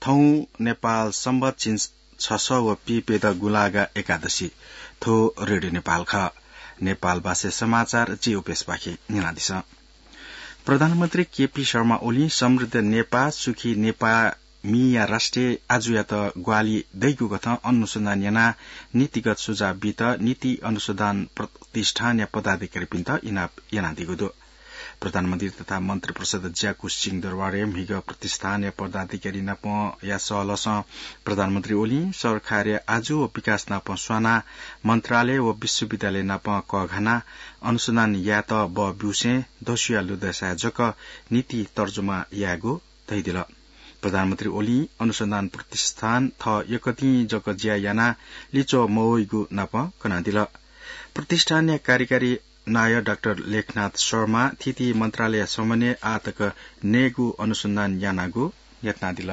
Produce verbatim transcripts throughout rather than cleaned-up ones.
थौं नेपाल संवत झिंछसः व पीप्यदँ गुंलागा एकादशी। थ्व रेडियो नेपाल खः। नेपाल भाषाय् समाचार जि उपेशपाखें न्यनादिसँ। प्रधानमन्त्री केपी शर्मा ओलीं समृद्ध नेपाः, सुखी नेपाः मिया राष्ट्रिय आजुयात ग्वाहालि दइगु कथं अनुसन्धान यानाः नीतिगत सुझाव बीत नीति अनुसन्धान प्रतिष्ठानया पदाधिकारीपिन्त इनाप यानादीगु दु। प्रधानमन्त्री तथा मन्त्रिपरिषद ज्याकू सिंहदरबारय् म्हिगः प्रतिष्ठानया पदाधिकारी नापंया सहलहसं प्रधानमन्त्री ओलीं सरकारया आजु व विकास नाप स्वानाः मन्त्रालय व विश्वविद्यालय नाप कःघानाः अनुसन्धान यायेत बः ब्यूसें दस्युया लुँदय्साय् जक नीति तर्जुमा यायेगु धयादिल। प्रधानमन्त्री ओलीं अनुसन्धान प्रतिष्ठान थः यकतिं जक ज्या यानाः लिच्वः मवइगु नाप कनादिल। प्रतिष्ठानया कार्यकारी नायः डाक्टर लेखनाथ शर्मा थीथी मन्त्रालय समन्वयं आःतक नयेगु अनुसन्धान यानागु न्ह्यथनादिल।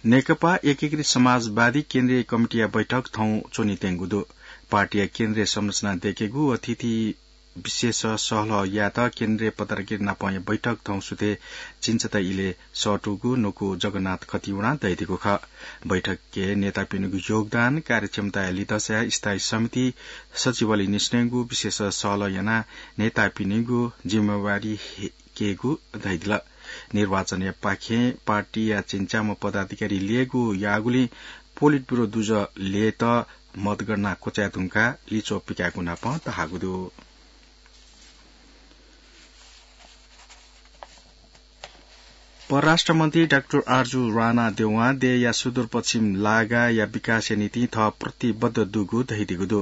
नेकपा एकीकृत समाजवादी केन्द्रीय कमिटीया बैठक थौं च्वनेत्यंगु दु। पार्टीया केन्द्रीय संरचना दयेकेगु व थीथी विषयय् सहलह यायेत केन्द्रीय पदाधिकारी नापंया बैठक थौं सुथय् झिंछता इलय् सःतूगु न्वकू जगन्नाथ खतिवडां धयादीगु खः। बैठकय् नेतापिनिगु योगदान, कार्यक्षमताया लिधंसाय् स्थायी समिति सचिवालय निसेंगु विषयय् सहलह यानाः नेतापिनिगु जिम्मेवारी हे-, केगु धयादिल। निर्वाचनया पाखें पार्टीया झिंच्याम्ह पदाधिकारी ल्ययेगु याःगुलिं पोलिट ब्युरो दुजः ल्ययेत मतगणना क्वचाये धुंकाः लिच्वः पिकायेगु नाप धाःगु दु। परराष्ट्र मन्त्री डाक्टर आरजु राणा देवां देय्‌या सुदूरपश्चिम लागाया विकासया निंतिं थः प्रतिबद्ध दुगु धयादीगु दु।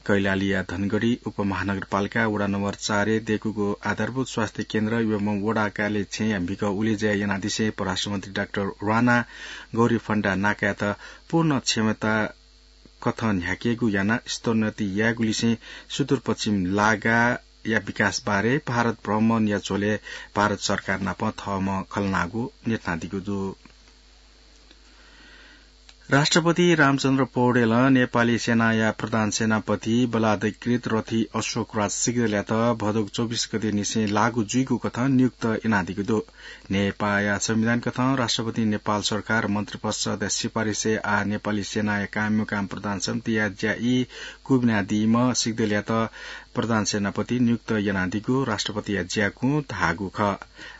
कैलालीया धनगढी उपमहानगरपालिका वडा नम्बर चारय् दय्‌कूगु आधारभूत स्वास्थ्य केन्द्र एवं वडा कार्यालय छेँया म्हिगः उलेज्या यानादिसें परराष्ट्र मन्त्री डाक्टर राणां गौरीफन्दा नाकायात पूर्ण क्षमता कथं न्ह्याकेगु यानाः स्तरोन्नति यायेगुलिसें सुदूरपश्चिम लागाया विकास बारे भारत भ्रमणया झ्वलय् भारत सरकार नाप थःम्हं खँ ल्हानागु न्ह्यथनादीगु दु। राष्ट्रपति रामचन्द्र पौडेलं नेपाली सेनाया प्रधान सेनापति बलाधिकृत रथी अशोकराज सिग्देलयात भदौं चौबिस गते निसें लागू जुइगु कथं नियुक्त यानादीगु दु। नेपाःया संविधान कथं राष्ट्रपतिं नेपाल सरकार मन्त्रिपरिषदया सिफारिसय् आः नेपाली सेनाया कायमकाम प्रधान समितिया ज्या ई क्वबिनादीम्ह सिग्देलयात प्रधान सेनापति नियुक्त यानादीगु राष्ट्रपतिया ज्याकुं धाःगु खः।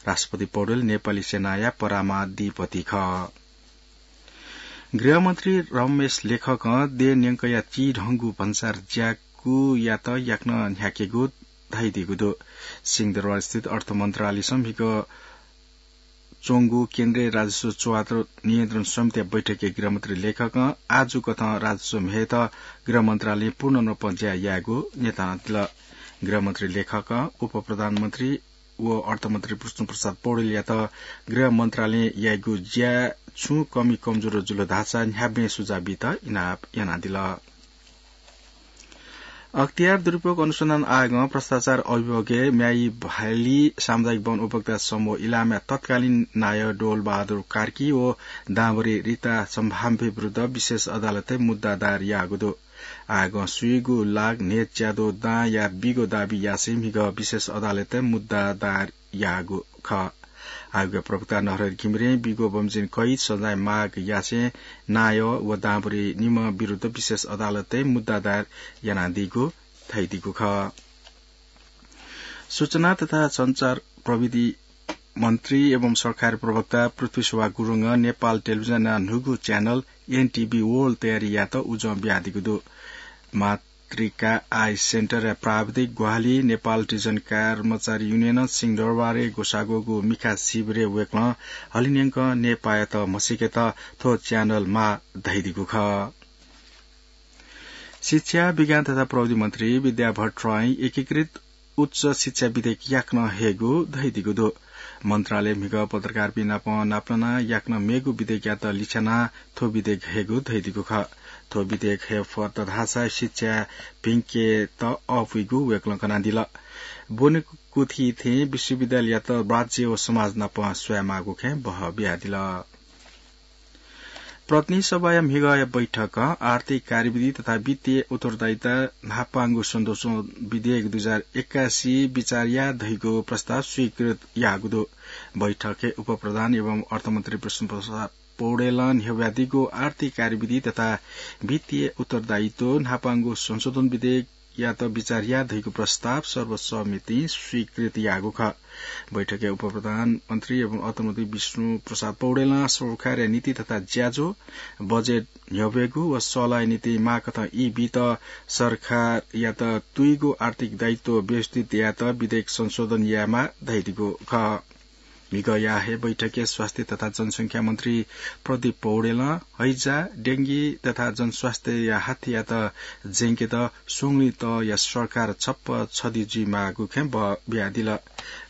राष्ट्रपति पौडेल नेपाली सेनाया परामाधिपति खः। गृहमन्त्री रमेश लेखकं देय् न्यंकया चिधंगु भन्सार ज्याकुयात याकनं न्ह्याकेगु धयादीगु दु। सिंहदरबारस्थित अर्थ मन्त्रालयसं म्हिगः च्वंगु केन्द्रीय राजस्व च्वयादीगु नियन्त्रण समितिया बैठकय् गृहमन्त्री लेखकं आजु कथं राजस्व म्हेत गृह मन्त्रालयं पूर्ण रूपं ज्या यायेगु न्ह्यथनादिल। गृहमन्त्री लेखकं उपप्रधानमन्त्री व अर्थमन्त्री विष्णुप्रसाद पौडेलयात गृह मन्त्रालयं याइगु ज्याय् छुं कमी कमजोर जुल धाःसा न्ह्याबलें सुझाव बीत इनाप यानादिल। अख्तियार दुरुपयोग अनुसन्धान आयोगं भ्रष्टाचार अभियोगय् म्याइभाली सामुदायिक वन उपभोक्ता समूह इलामया तत्कालीन नायः डोलबहादुर कार्की व दांभरि रिता सम्भाव्य विरुद्ध विशेष अदालतय् मुद्दा दायर याःगु दु। आयोगं सुइगु लाख न्हय्‌च्याद्वः दांया बीगु दाबी यासें म्हिगः विशेष अदालतय् मुद्दा दायर याःगु खः। आयोगया प्रवक्ता नरहरि घिमिरें बीगु बमोजिम कैद सजाय माग यासें नायः व दांभरि निम्ह विरुद्ध विशेष अदालतय् मुद्दा दायर यानादीगु धयादीगु खः। सूचना तथा सञ्चार प्रविधि मन्त्री एवं सरकारी प्रवक्ता पृथ्वी शोभा गुरुङं नेपाल टेलिभिजनया न्हूगु च्यानल एनटिभी वर्ल्ड तयारी यायेत उजं बियादीगु दु। मातृका आई सेन्टरया प्राविधिक ग्वाहालि नेपाल टेलिभिजन कर्मचारी युनियनं सिंहदरबारय् ग्वसाःगु मिखा शिविरय् वय्‌कलं हलिंन्यंकं नेपाःयात म्हसीकेत थ्व च्यानल माः धयादीगु खः। शिक्षा, विज्ञान तथा प्रविधि मन्त्री विद्या भट्टराईं एकीकृत उच्च शिक्षा विधेयक याकनं हयेगु धयादीगु दु। मन्त्रालयं म्हिगः पत्रकारपिं नाप नापलानाः याकनं मेगु विधेयकयात लिछ्यानाः थ्व विधेयक हयेगु धयादीगु खः। थ्व विधेयक हये फत धाःसा शिक्षा भिंकेत अःपुइगु वय्‌कलं कनादिल। ब्वनेकुथि थें विश्वविद्यालययात राज्य व समाज नाप स्वयेमाःगु खँय् बहः बियादिल। प्रतिनिधि सभाया म्हिगःया बैठकं आर्थिक कार्यविधि तथा वित्तीय उत्तरदायिता न्हापांगु संशोधन विधेयक दुई हजार एकासी बिचार याये धइगु प्रस्ताव स्वीकृत याःगु दु। बैठकय् उपप्रधान एवं अर्थमन्त्री विष्णुप्रसाद पौडेलं न्ह्यब्वयादीगु आर्थिक कार्यविधि तथा वित्तीय उत्तरदायित्व न्हापांगु संशोधन विधेयकयात बिचार याये धइगु प्रस्ताव सर्वसम्मतिं स्वीकृत याःगु खः। बैठकय् उपप्रधानमन्त्री एवं अर्थमन्त्री विष्णुप्रसाद पौडेलं सरकारया नीति तथा ज्याझ्वः, बजेट न्ह्यब्वयेगु व सल्लाहया निंतिं माःकथं ई बीत सरकारयात तुइगु आर्थिक दायित्व व्यवस्थित यायेत विधेयक संशोधन यायेमाः धयादीगु खः। म्हिगःया हे बैठकय् स्वास्थ्य तथा जनसंख्या मन्त्री प्रदीप पौडेलं हैजा, डेंगी तथा जनस्वास्थ्यया हात्तीयात ज्यंकेत स्वंगुलिं तःया सरकार छप्पँ छधी जुइमाःगु खँ ब-, बियादिल।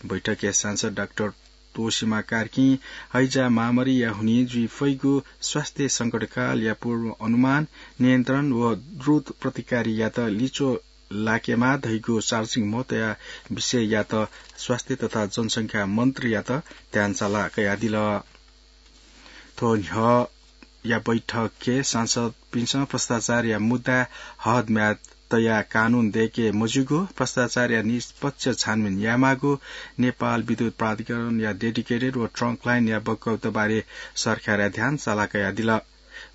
बैठकय् सांसद डाक्टर तोसीमा कार्कीं हैजा महामारीया हुनिं जुइ फइगु स्वास्थ्य संकटकालया पूर्व अनुमान, नियन्त्रण व द्रुत प्रतिकारीयात लिच्वः लाकेमाः धइगु सार्वजनिक महत्वया विषययात स्वास्थ्य तथा जनसंख्या मन्त्रीयात ध्यानसाला कयादिल। थ्व न्ह्यःया बैठकय् सांसदपिन्सं भ्रष्टाचारया मुद्दाय् हदम्याद तयाः कानून दय्के मज्यूगु, भ्रष्टाचारया निष्पक्ष छानबिन यायेमाःगु, नेपाल विद्युत प्राधिकरणया डेडिकेटेड व ट्रंक लाइनया बक्यौता बारे सरकारया ध्यानसाला कयादिल।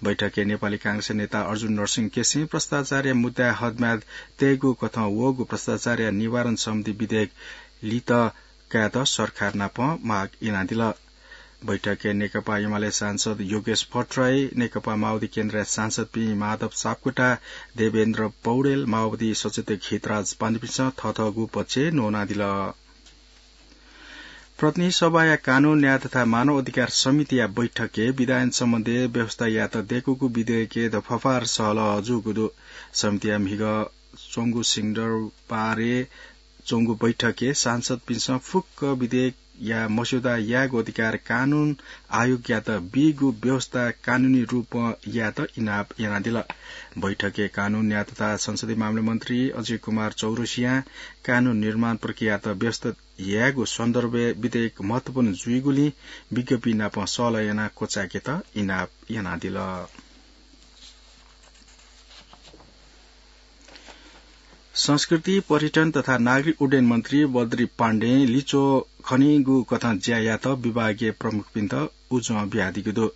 बैठकय् नेपाली कांग्रेसया नेता अर्जुन नरसिंह केसीं भ्रष्टाचारया मुद्दाय् हदम्याद तयेगु कथं वःगु भ्रष्टाचारया निवारण सम्बन्धी विधेयक लित कायेत सरकार नाप माग यानादिल। बैठकय् नेकपा एमाले सांसद योगेश भट्टराई, नेकपा माओवादी केन्द्रया सांसदपिं माधव सापकोटा, देवेन्द्र पौडेल, माओवादी सचेतक हितराज पाण्डेपिन्सं थःथःगु पक्ष न्वनादिल। प्रतिनिधि सभाया कानून, न्याय तथा मानव अधिकार समितिया बैठकय् विधायन सम्बन्धी व्यवस्था यायेत दय्कूगु विधेयकय् दफाफार सहलह जूगु दु। समितिया म्हिगः च्वंगु सिंगडरबारय् च्वंगु बैठकय् सांसदपिन्सं फुक्क विधेयकया मस्यौदा यायेगु अधिकार कानून आयोगयात बीगु व्यवस्था कानूनी रूपं यायेत इनाप यानादिल। बैठकय् कानून, न्याय तथा संसदीय मामला मन्त्री अजय कुमार चौरसियां कानून निर्माण प्रक्रियायात व्यवस्थित यायेगु सन्दर्भय् विधेयक महत्वपूर्ण जुइगुलिं विज्ञपिं नाप सहलह यानाः क्वचाय्केत इनाप यानादिल। संस्कृति, पर्यटन तथा नागरिक उड्डयन मन्त्री बद्री पाण्डें लिच्वः खनीगु कथं ज्या यायेत विभागीय प्रमुखपिन्त उजं बियादीगु दु।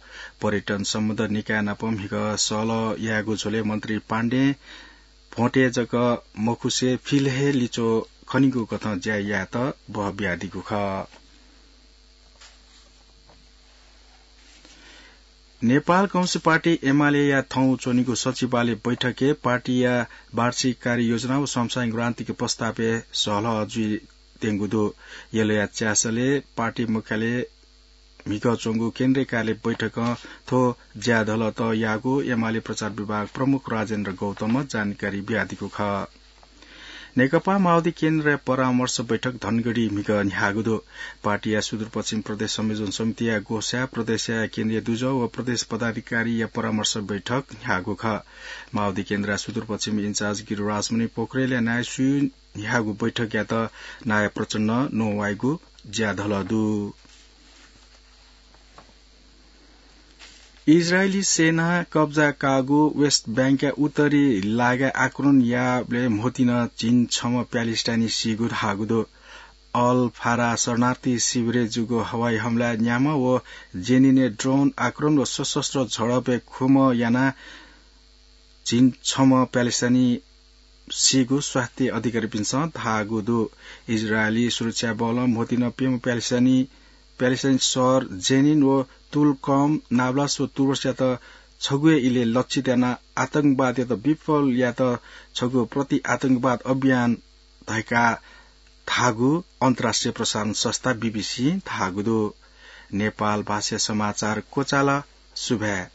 पर्यटन सम्बद्ध निकाय नाप म्हिगः सहलह यायेगु झ्वलय् मन्त्री पाण्डें भोंतय् जक मखुसे फिल हे लिच्वः खनीगु कथं ज्या यायेत बह बियादीगु खः। नेपाल कम्युनिस्ट पार्टी एमालेया थौं च्वनीगु सचिवालय बैठकय् पार्टीया वार्षिक कार्ययोजना व समसामयिक रणनीतिक प्रस्तावय् सहलह जुइत्यंगु दु। यलया च्यासलय् पार्टी मुख्यालय म्हिगः च्वंगु केन्द्रीय कार्यालय बैठकं थ्व ज्याधलःत याःगु एमाले प्रचार विभाग प्रमुख राजेन्द्र गौतमं जानकारी बियादीगु खः। नेकपा माओवादी केन्द्रया परामर्श बैठक धनगढी म्हिगः न्ह्याःगु दु। पार्टीया सुदूरपश्चिम प्रदेश संयोजन समितिया ग्वसाय् प्रदेशया केन्द्रीय दुजः व प्रदेश पदाधिकारीया परामर्श बैठक न्ह्याःगु खः। माओवादी केन्द्रया सुदूरपश्चिम इन्चार्ज गिरिराजमणि पोखरेलया नायःसुइ न्ह्याःगु बैठकयात नायः प्रचण्डं न्ववाइगु ज्याधलः दु। इजरायली सेनां कब्जा काःगु वेस्ट बैंकया उत्तरी लागाय् आक्रमण याःबलय् म्होतिं झिंछम्ह प्यालेस्टाइनी सीगु धाःगु दु। अल फारा शरणार्थी शिविरय् जूगु हवाई हमलाय् न्याम्ह व जेनिनय् ड्रोन आक्रमण व सशस्त्र झडपय् खुम्ह यानाः झिंछम्ह प्यालेस्टाइनी सीगु स्वास्थ्य अधिकारीपिन्सं धाःगु दु। इजरायली सुरक्षा बलं म्होतिं प्यम्ह प्यालेस्टाइनी, प्यालेस्टाइनी शहर जेनिन व तुल कम नाबलास व तुर्बसयात छगू हे इलय् लक्षित यानाः आतंकवादयात विफल यायेत छगू प्रति आतंकवाद अभियान धकाः धाःगु अन्तर्राष्ट्रिय प्रसारण संस्था बीबीसीं धाःगु दु। नेपाल भाषा समाचार क्वचाल। सुभाय्।